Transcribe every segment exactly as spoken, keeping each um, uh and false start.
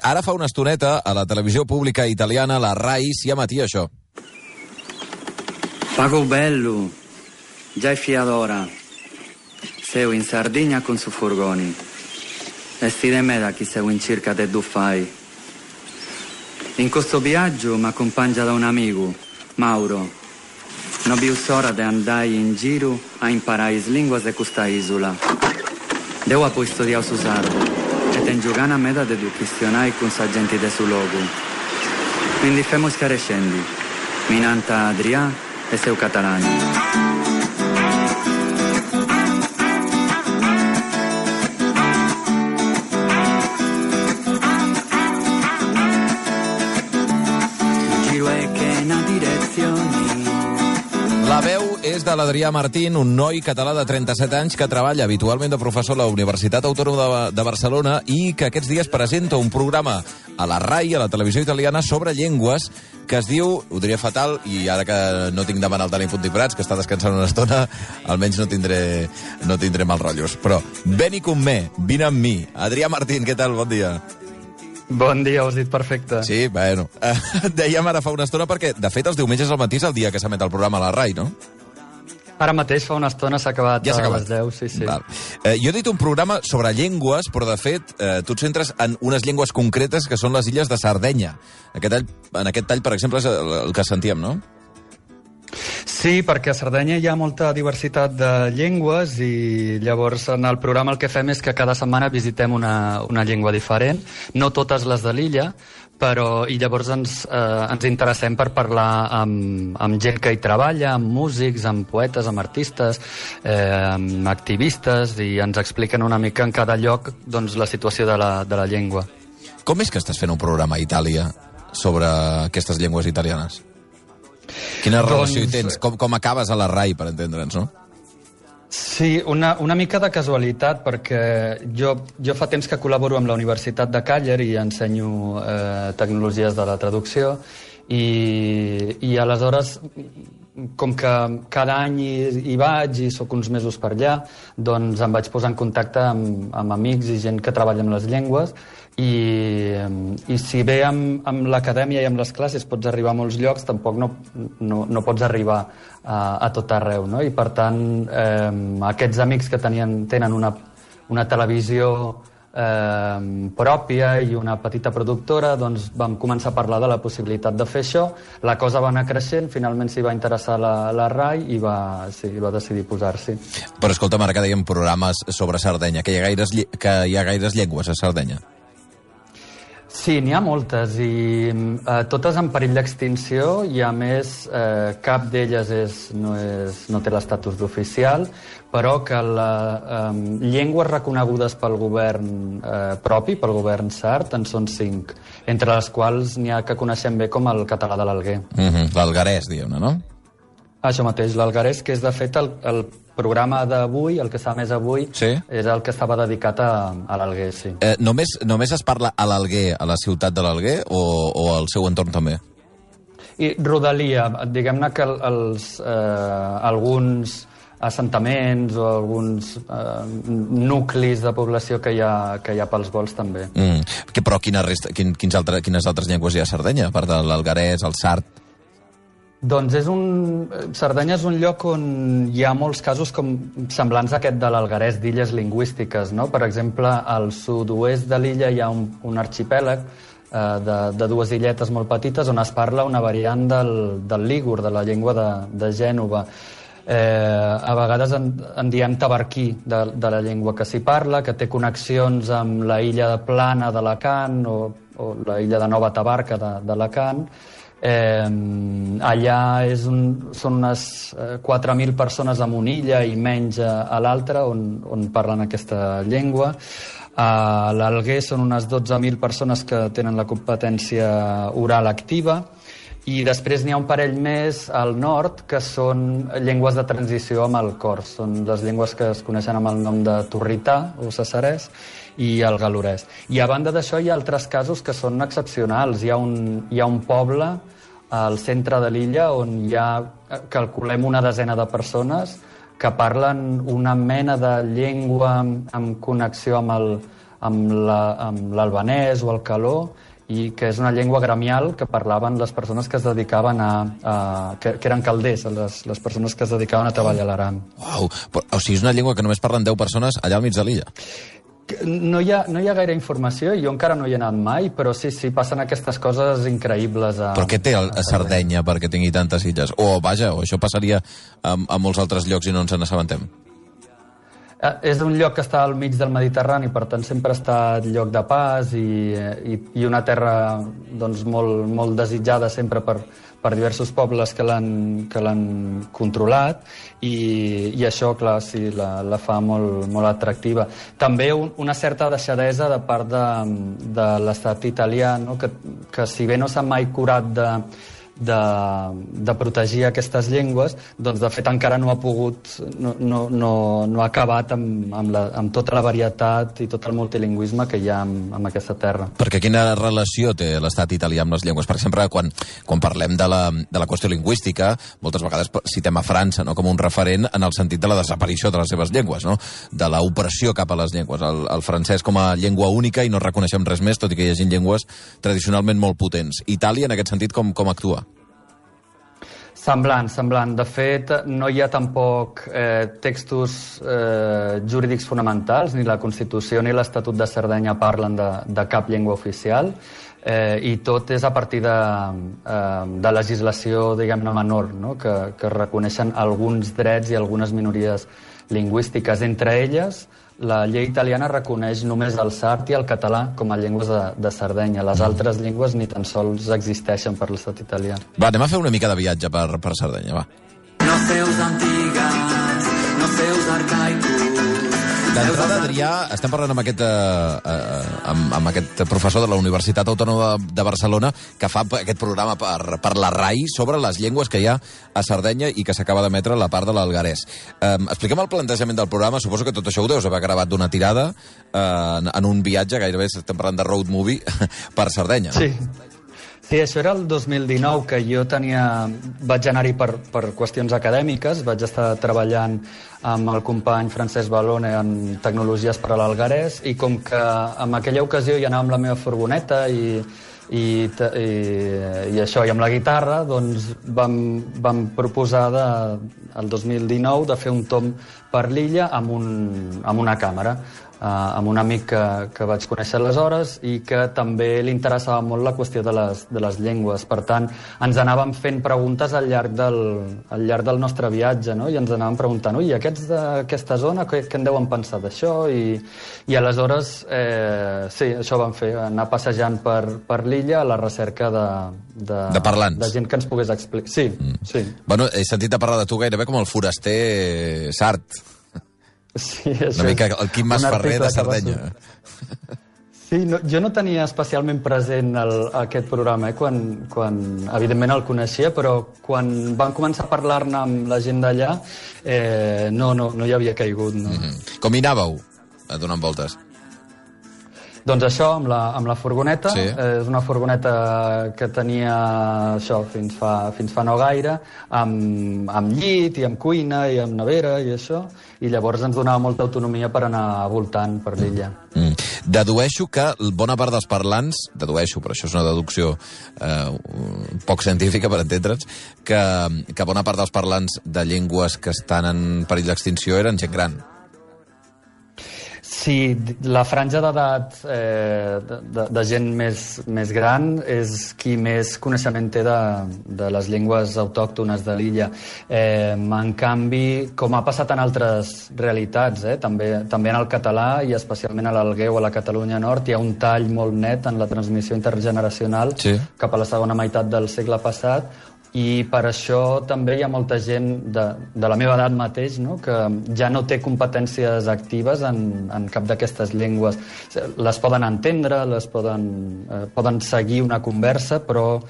Ara fa una estoneta, a la televisió pública italiana, la Rai, si emetia això. Pago bello, già è fiadora. Seu in Sardegna con su furgoni. E sti de me da chi seu in circa de Duffai. In questo viaggio mi accompagna da un amico, Mauro. Non vi ora de andai in giro a imparare le lingue di questa isola. Devo poi studiare su sardo e ten giocare a meta de du questionai con sa gente de su logo. Quindi femo scarescendi, minanta Adrià e seu catalani. La veu és de l'Adrià Martín, un noi català de trenta-set anys que treballa habitualment de professor a la Universitat Autònoma de, de Barcelona i que aquests dies presenta un programa a la Rai, a la televisió italiana, sobre llengües, que es diu, ho diria fatal, i ara que no tinc davant el Dani Puntipprats, que està descansant una estona, almenys no tindré, no tindré mal rotllos. Però, veni con me, vine amb mi. Adrià Martín, què tal? Bon dia. Bon dia, ho has dit perfecte. Sí, bueno. Uh, dèiem ara fa una estona perquè, de fet, els diumenges al matí és el dia que s'emet el programa a la Rai, no? Ara mateix, fa una estona, s'ha acabat, ja a les deu, sí, sí. Val. Eh, jo he dit un programa sobre llengües, però, de fet, eh, tu et centres en unes llengües concretes que són les illes de Sardenya. Aquest tall, en aquest tall, per exemple, és el, el que sentíem, no? Sí, perquè a Sardenya hi ha molta diversitat de llengües i llavors en el programa el que fem és que cada setmana visitem una, una llengua diferent, no totes les de l'illa, però i llavors ens, eh, ens interessem per parlar amb, amb gent que hi treballa, amb músics, amb poetes, amb artistes, eh, amb activistes, i ens expliquen una mica en cada lloc doncs, la situació de la, de la llengua. Com és que estàs fent un programa a Itàlia sobre aquestes llengües italianes? Quina relació doncs... hi tens? Com, com acabes a la Rai, per entendre'ns, no? Sí, una, una mica de casualitat, perquè jo, jo fa temps que col·laboro amb la Universitat de Càller i ensenyo eh, tecnologies de la traducció, i, i aleshores, com que cada any hi, hi vaig i sóc uns mesos per allà, doncs em vaig posar en contacte amb, amb amics i gent que treballa amb les llengües, i, i si bé amb, amb l'acadèmia i amb les classes pots arribar a molts llocs, tampoc no, no, no pots arribar a, a tot arreu, no? I per tant, eh, aquests amics que tenien, tenen una, una televisió eh, pròpia i una petita productora, doncs vam començar a parlar de la possibilitat de fer això. La cosa va anar creixent, finalment s'hi va interessar la, la Rai i va, sí, va decidir posar-s'hi. Però escolta'm, ara que dèiem programes sobre Sardenya, que hi ha gaires, que hi ha gaires llengües a Sardenya. Sí, n'hi ha moltes, i eh, totes en perill d'extinció, i a més eh, cap d'elles és, no, és, no té l'estatus d'oficial, però que les eh, llengües reconegudes pel govern eh, propi, pel govern sard, en són cinc, entre les quals n'hi ha que coneixem bé com el català de l'Alguer. Mm-hmm. L'alguerès, diguem-ne, no? Això mateix, l'alguerès, que és de fet el, el programa d'avui, el que està més avui, sí? És el que estava dedicat a, a l'Alguer, sí. Eh, només, només es parla a l'Alguer, a la ciutat de l'Alguer, o, o al seu entorn també? I rodalia, diguem-ne que els, eh, alguns assentaments o alguns eh, nuclis de població que hi ha, que hi ha pels volts també. Mm. Que, però quina resta, quin, quins altre, quines altres llengües hi ha a Sardenya, a part de l'alguerès, el sard? Doncs és un... Sardenya és un lloc on hi ha molts casos com semblants a aquest de l'alguerès, d'illes lingüístiques, no? Per exemple, al sud-oest de l'illa hi ha un, un arxipèlag eh, de, de dues illetes molt petites on es parla una variant del, del lígur, de la llengua de, de Gènova. Eh, a vegades en, en diem tabarquí, de, de la llengua que s'hi parla, que té connexions amb la illa de Plana d'Alacant o, o la illa de Nova Tabarca d'Alacant. Eh, allà és un, són unes eh, quatre mil persones en una illa i menys a, a l'altra on, on parlen aquesta llengua. A l'Alguer són unes dotze mil persones que tenen la competència oral activa, i després n'hi ha un parell més al nord que són llengües de transició amb el cors. Són les llengües que es coneixen amb el nom de torrità o cesarès i el galorès. I a banda d'això hi ha altres casos que són excepcionals. Hi ha un, hi ha un poble al centre de l'illa on hi ha, calculem, una desena de persones que parlen una mena de llengua amb connexió amb el, amb l'albanès o el caló, i que és una llengua gremial que parlaven les persones que es dedicaven a... a que, que eren calders, les, les persones que es dedicaven a treballar a l'aram. Uau, o sigui, és una llengua que només parlen deu persones allà al mig de l'illa. No hi, ha, no hi ha gaire informació, jo encara no hi he anat mai, però sí, sí, passen aquestes coses increïbles a... Però què té a, a Sardenya perquè tingui tantes illes? O, vaja, o això passaria a, a molts altres llocs i no ens n'assabentem? Eh, és un lloc que està al mig del Mediterrani, per tant sempre ha estat lloc de pas i, i, i una terra doncs, molt, molt desitjada sempre per, per diversos pobles que l'han que l'han controlat i, i això, clar, sí, la, la fa molt, molt atractiva. També un, una certa deixadesa de part de, de l'estat italià, no? que, que si bé no s'ha mai curat de De, de protegir aquestes llengües, doncs de fet encara no ha pogut, no, no, no, no ha acabat amb, amb, la, amb tota la varietat i tot el multilingüisme que hi ha amb, amb aquesta terra. Perquè quina relació té l'estat italià amb les llengües? Per exemple, quan, quan parlem de la, de la qüestió lingüística, moltes vegades citem a França, no?, com un referent en el sentit de la desaparició de les seves llengües, no?, de l'opressió cap a les llengües. El, el francès com a llengua única i no reconeixem res més, tot i que hi hagi llengües tradicionalment molt potents. Itàlia, en aquest sentit, com, com actua? Semblant, semblant. De fet, no hi ha tampoc eh, textos eh, jurídics fonamentals, ni la Constitució ni l'Estatut de Sardenya parlen de, de cap llengua oficial, eh, i tot és a partir de, eh, de legislació, diguem-ne, menor, no?, que, que reconeixen alguns drets i algunes minories lingüístiques. Entre elles, la llei italiana reconeix només el sard i el català com a llengües de, de Sardenya. Les altres llengües ni tan sols existeixen per l'estat italià. Va, anem a fer una mica de viatge per, per Sardenya, va. No sé us antigues, no sé us arcaicus. D'entrada, Adrià, estem parlant amb aquest, eh, amb, amb aquest professor de la Universitat Autònoma de Barcelona que fa aquest programa per, per la RAI sobre les llengües que hi ha a Sardenya i que s'acaba d'emetre la part de l'alguerès. Eh, expliquem el plantejament del programa. Suposo que tot això ho deus haver gravat d'una tirada eh, en, en un viatge, gairebé estem parlant de road movie, per Sardenya. Sí. Sí, això era el dos mil dinou, que jo tenia... Vaig anar-hi per, per qüestions acadèmiques, vaig estar treballant amb el company Francesc Balone en tecnologies per a l'alguerès, i com que en aquella ocasió hi anava amb la meva furgoneta i, i, i, i això, i amb la guitarra, doncs vam, vam proposar de, el dos mil dinou de fer un tomb per l'illa amb, un, amb una càmera. Uh, amb un amic que, que vaig conèixer aleshores i que també li interessava molt la qüestió de les, de les llengües. Per tant, ens anàvem fent preguntes al llarg del, al llarg del nostre viatge, no? I ens anàvem preguntant, ui, aquests d'aquesta zona, què, què en deuen pensar d'això? I, i aleshores, eh, sí, això vam fer, anar passejant per, per l'illa a la recerca de, de, de parlants. De gent que ens pogués explicar. Sí, mm. sí. Bueno, he sentit a parlar de tu gairebé com el foraster sard. Sí, una mica el Quim Masferrer de Sardenya. Sí, no, jo no tenia especialment present el, aquest programa, eh, quan, quan evidentment el coneixia, però quan van començar a parlar-ne amb la gent d'allà, eh, no, no, no hi havia caigut. No. Mm-hmm. Com hi anàveu, donant voltes? Doncs això, amb la, amb la furgoneta. Sí. Eh, és una furgoneta que tenia això fins fa, fins fa no gaire, amb, amb llit i amb cuina i amb nevera i això, i llavors ens donava molta autonomia per anar voltant per l'illa. Mm. Dedueixo que bona part dels parlants, dedueixo, però això és una deducció eh, poc científica per entendre'ns, que, que bona part dels parlants de llengües que estan en perill d'extinció eren gent gran. Sí, la franja d'edat eh, de, de gent més, més gran és qui més coneixement té de, de les llengües autòctones de l'illa. Eh, en canvi, com ha passat en altres realitats, eh, també, també en el català i especialment a l'Alguer o a la Catalunya Nord, hi ha un tall molt net en la transmissió intergeneracional, sí, cap a la segona meitat del segle passat, i per això també hi ha molta gent de, de la meva edat mateix, no?, que ja no té competències actives en, en cap d'aquestes llengües. Les poden entendre, les poden, eh, poden seguir una conversa, però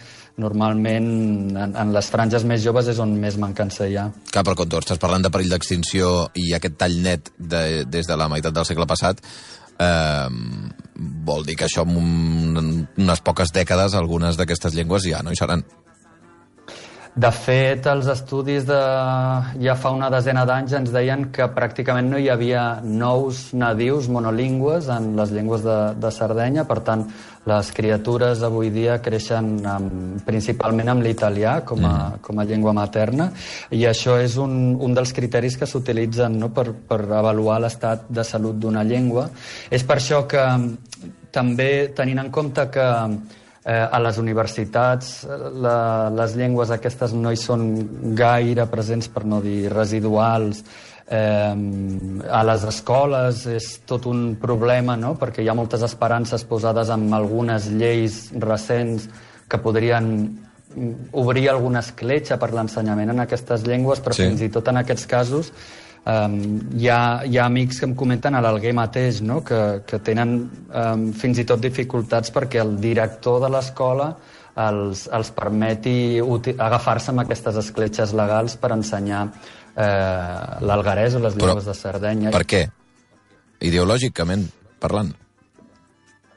normalment en, en les franges més joves és on més mancança hi ha. Clar, però quan tu estàs parlant de perill d'extinció i aquest tall net de, des de la meitat del segle passat, eh, vol dir que això en un, unes poques dècades algunes d'aquestes llengües ja no hi seran. De fet, els estudis de ja fa una desena d'anys ens deien que pràcticament no hi havia nous nadius monolingües en les llengües de, de Sardenya, per tant, les criatures avui dia creixen amb, principalment amb l'italià com, a, mm. com a llengua materna, i això és un, un dels criteris que s'utilitzen, no?, per, per avaluar l'estat de salut d'una llengua. És per això que també, tenint en compte que Eh, a les universitats la, les llengües aquestes no hi són gaire presents, per no dir residuals, eh, a les escoles és tot un problema, no?, perquè hi ha moltes esperances posades en algunes lleis recents que podrien obrir alguna escletxa per l'ensenyament en aquestes llengües, però sí. fins i tot en aquests casos Um, hi, ha, hi ha amics que em comenten a l'Alguer mateix, no?, que, que tenen um, fins i tot dificultats perquè el director de l'escola els, els permeti agafar-se amb aquestes escletxes legals per ensenyar eh, l'alguerès o les llengües de Sardenya. Per què? Ideològicament parlant?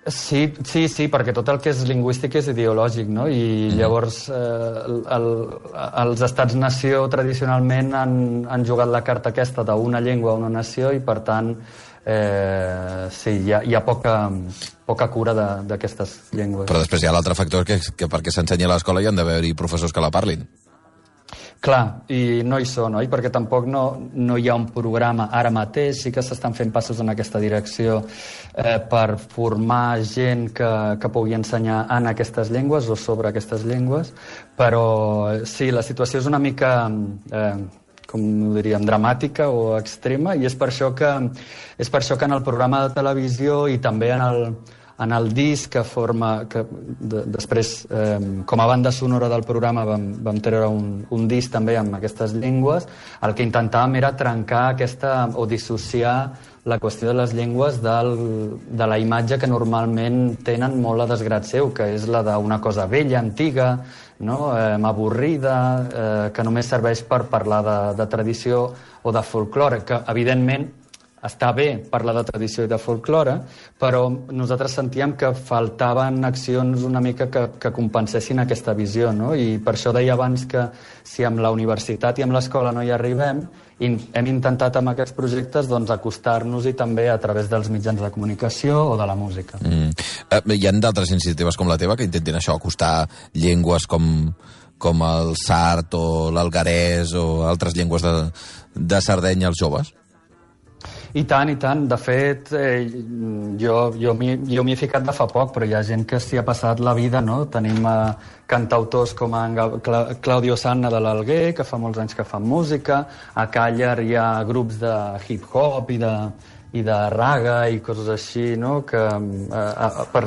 Sí, sí, sí, perquè tot el que és lingüístic és ideològic, no? I mm. llavors eh, el, els estats-nació tradicionalment han, han jugat la carta aquesta d'una llengua a una nació i, per tant, eh, sí, hi ha, hi ha poca, poca cura d'aquestes llengües. Però després hi ha l'altre factor que, que perquè s'ensenyi a l'escola hi han d'haver-hi professors que la parlin. Clar, i no hi són, oi? Perquè tampoc no, no hi ha un programa ara mateix, sí que s'estan fent passos en aquesta direcció eh, per formar gent que, que pugui ensenyar en aquestes llengües o sobre aquestes llengües, però sí, la situació és una mica, eh, com ho diríem, dramàtica o extrema, i és per això que, és per això que en el programa de televisió i també en el, en el disc que forma, que de, després eh, com a banda sonora del programa vam, vam treure un, un disc també amb aquestes llengües, el que intentàvem era trencar aquesta o dissociar la qüestió de les llengües del, de la imatge que normalment tenen molt a desgrat seu, que és la d'una cosa vella, antiga, no? eh, avorrida, eh, que només serveix per parlar de, de tradició o de folklore, que evidentment està bé parlar de tradició i de folklore, però nosaltres sentíem que faltaven accions una mica que, que compensessin aquesta visió, no? I per això deia abans que si amb la universitat i amb l'escola no hi arribem, hem intentat amb aquests projectes doncs, acostar-nos-hi també a través dels mitjans de comunicació o de la música. Mm. Eh, hi ha d'altres iniciatives com la teva que intentin això, acostar llengües com, com el sard o l'alguerès o altres llengües de, de Sardenya als joves? I tant, i tant. De fet, eh, jo, jo m'hi he ficat de fa poc, però hi ha gent que s'hi ha passat la vida, no? Tenim eh, cantautors com en Cla Claudio Sanna de l'Alguer, que fa molts anys que fan música. A Càller hi ha grups de hip-hop i de, i de raga i coses així, no? Que eh, per,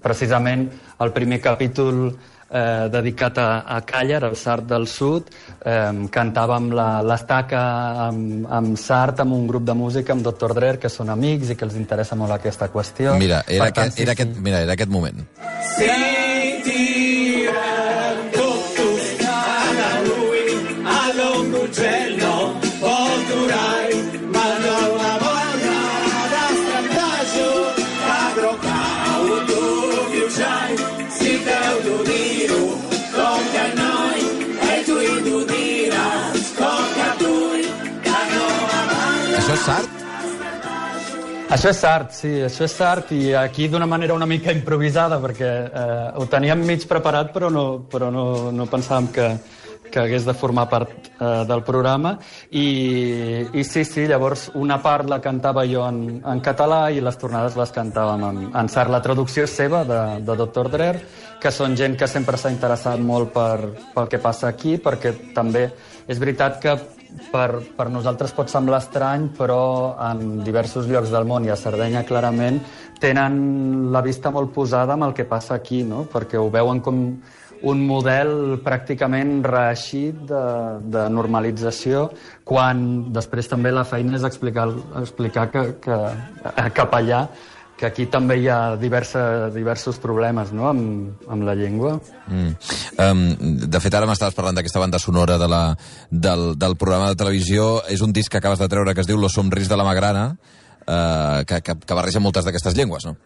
precisament el primer capítol Eh, dedicat a, a Càller, al Sard del Sud, eh, cantàvem l'estaca amb, amb Sard, amb un grup de música, amb doctor Drer, que són amics i que els interessa molt aquesta qüestió. Mira, era, tant, aquest, era, sí, aquest, sí. Mira, era aquest moment. Sentirem tutto a lui, a l'Ongugello, Volturai, ma non la voglia da strandaggio, padro cauto, viugiai, si teu d'unir-ho, com que noi, e tu i tu diràs, com que tu, que no m'amalla. Això és Sard? Això és Sard, sí, això és Sard, i aquí d'una manera una mica improvisada, perquè eh, ho teníem mig preparat, però no, però no, no pensàvem que, que hagués de formar part eh, del programa, i, i sí, sí, llavors una part la cantava jo en, en català i les tornades les cantàvem en, en Sard. La traducció és seva, de, de doctor Drer, que són gent que sempre s'ha interessat molt per, pel que passa aquí, perquè també és veritat que per, per nosaltres pot semblar estrany, però en diversos llocs del món i a Sardenya clarament tenen la vista molt posada amb el que passa aquí, no? Perquè ho veuen com un model pràcticament reeixit de, de normalització, quan després també la feina és explicar, explicar que, que cap allà que aquí també hi ha diversa, diversos problemes, no?, amb, amb la llengua. Mm. Um, de fet, ara m'estaves parlant d'aquesta banda sonora de la, del, del programa de televisió. És un disc que acabes de treure que es diu Los Somris de la Magrana, uh, que, que, que barreja moltes d'aquestes llengües, no?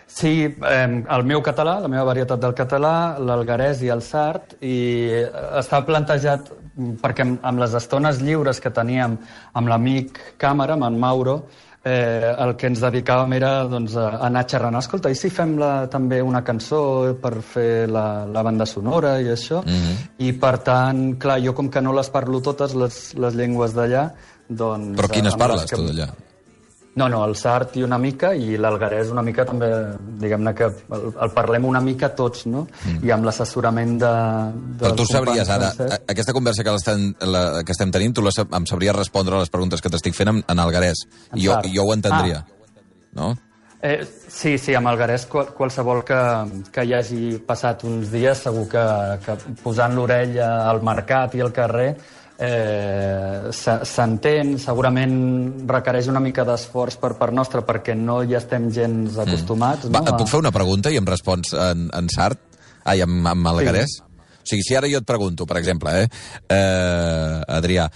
Sí, eh, el meu català, la meva varietat del català, l'alguerès i el sard, i està plantejat perquè amb, amb les estones lliures que teníem amb l'amic càmera, amb en Mauro, eh, el que ens dedicàvem era doncs, a anar xerrant. Escolta, i si fem la, també una cançó per fer la, la banda sonora i això? Mm-hmm. I per tant, clar, jo com que no les parlo totes, les, les llengües d'allà, doncs... Però quines parles, que... tu, d'allà? No, no, el sard i una mica, i l'alguerès una mica també, diguem-ne que el, el parlem una mica tots, no? Mm. I amb l'assessorament de... Però tu sabries ara, a, aquesta conversa que, la, que estem tenint, tu la, em sabries respondre a les preguntes que t'estic fent en, en alguerès. I jo, jo ho entendria, ah. no? Eh, sí, sí, amb alguerès qual, qualsevol que, que hi hagi passat uns dies, segur que, que posant l'orella al mercat i al carrer eh, s'entén, segurament requereix una mica d'esforç per part nostra perquè no hi estem gens acostumats. Mm. Va, no? Et puc fer una pregunta i em respons en, en sard? Ai, amb, amb alguerès? Sí. O sigui, si ara jo et pregunto, per exemple, eh, eh Adrià,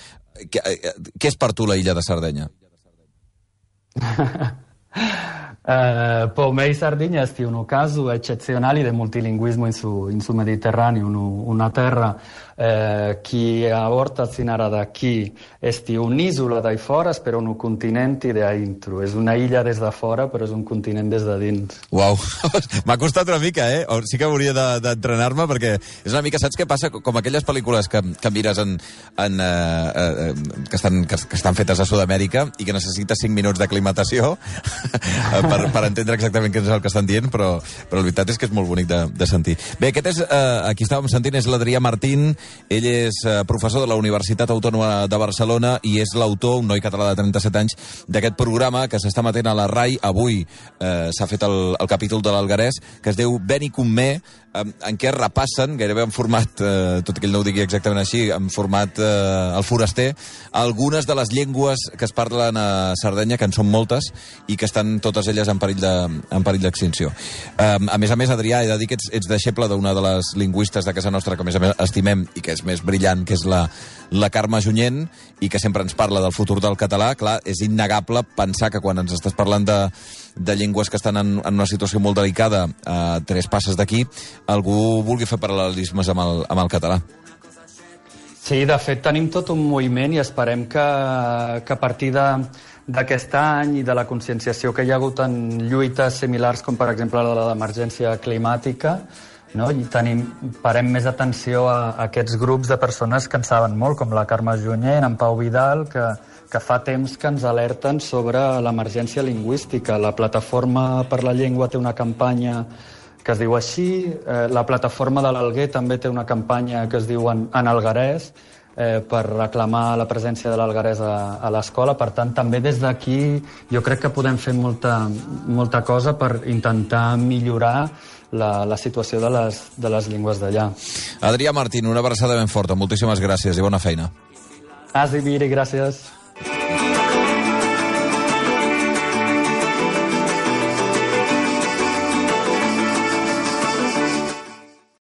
què, eh, què és per tu la illa de Sardenya? Uh, per me Sardegna è un caso eccezionale del multilinguismo in su, in su Mediterraneo, una terra eh, che a volta sinara da qui è un'isola dai fora, però un continente da dentro. És una illa des de fora, però és un continent des de dins. Uau, m'ha costat una mica, eh? Sí que hauria d'entrenar-me, perquè és una mica, saps què passa? Com aquelles pel·lícules que, que mires en, en, eh, eh, que, estan, que, que estan fetes a Sud-amèrica i que necessites cinc minuts d'aclimatació per, per entendre exactament què és el que estan dient, però, però la veritat és que és molt bonic de, de sentir. Bé, aquest és, eh, aquí estàvem sentint, és l'Adrià Martín. Ell és eh, professor de la Universitat Autònoma de Barcelona i és l'autor, un noi català de trenta-set anys, d'aquest programa que s'està emetent a la RAI. Avui eh, s'ha fet el, el capítol de l'alguerès, que es diu Ben i Comé, eh, en què repassen, gairebé en format, eh, tot i que ell no ho digui exactament així, en format eh, el foraster, algunes de les llengües que es parlen a Sardenya, que en són moltes, i que estan totes elles en perill de, en perill d'extinció. Eh, a més a més, Adrià, he de dir que ets, ets deixeble d'una de les lingüistes de casa nostra que més a més estimem i que és més brillant, que és la, la Carme Junyent, i que sempre ens parla del futur del català. Clar, és innegable pensar que quan ens estàs parlant de, de llengües que estan en, en una situació molt delicada, a tres passes d'aquí, algú vulgui fer paral·lelismes amb el, amb el català. Sí, de fet, tenim tot un moviment i esperem que, que a partir de d'aquest any i de la conscienciació que hi ha hagut en lluites similars com per exemple la de l'emergència climàtica, no? I tenim, parem més atenció a, a aquests grups de persones que en saben molt, com la Carme Junyent, en Pau Vidal, que, que fa temps que ens alerten sobre l'emergència lingüística. La Plataforma per la Llengua té una campanya que es diu així, eh, la Plataforma de l'Alguer també té una campanya que es diu En, en Alguerès, eh, per reclamar la presència de l'alguerès a, a l'escola. Per tant, també des d'aquí jo crec que podem fer molta, molta cosa per intentar millorar la, la situació de les, de les llengües d'allà. Adrià Martín, una abraçada ben forta. Moltíssimes gràcies i bona feina. Asi, Viri, gràcies.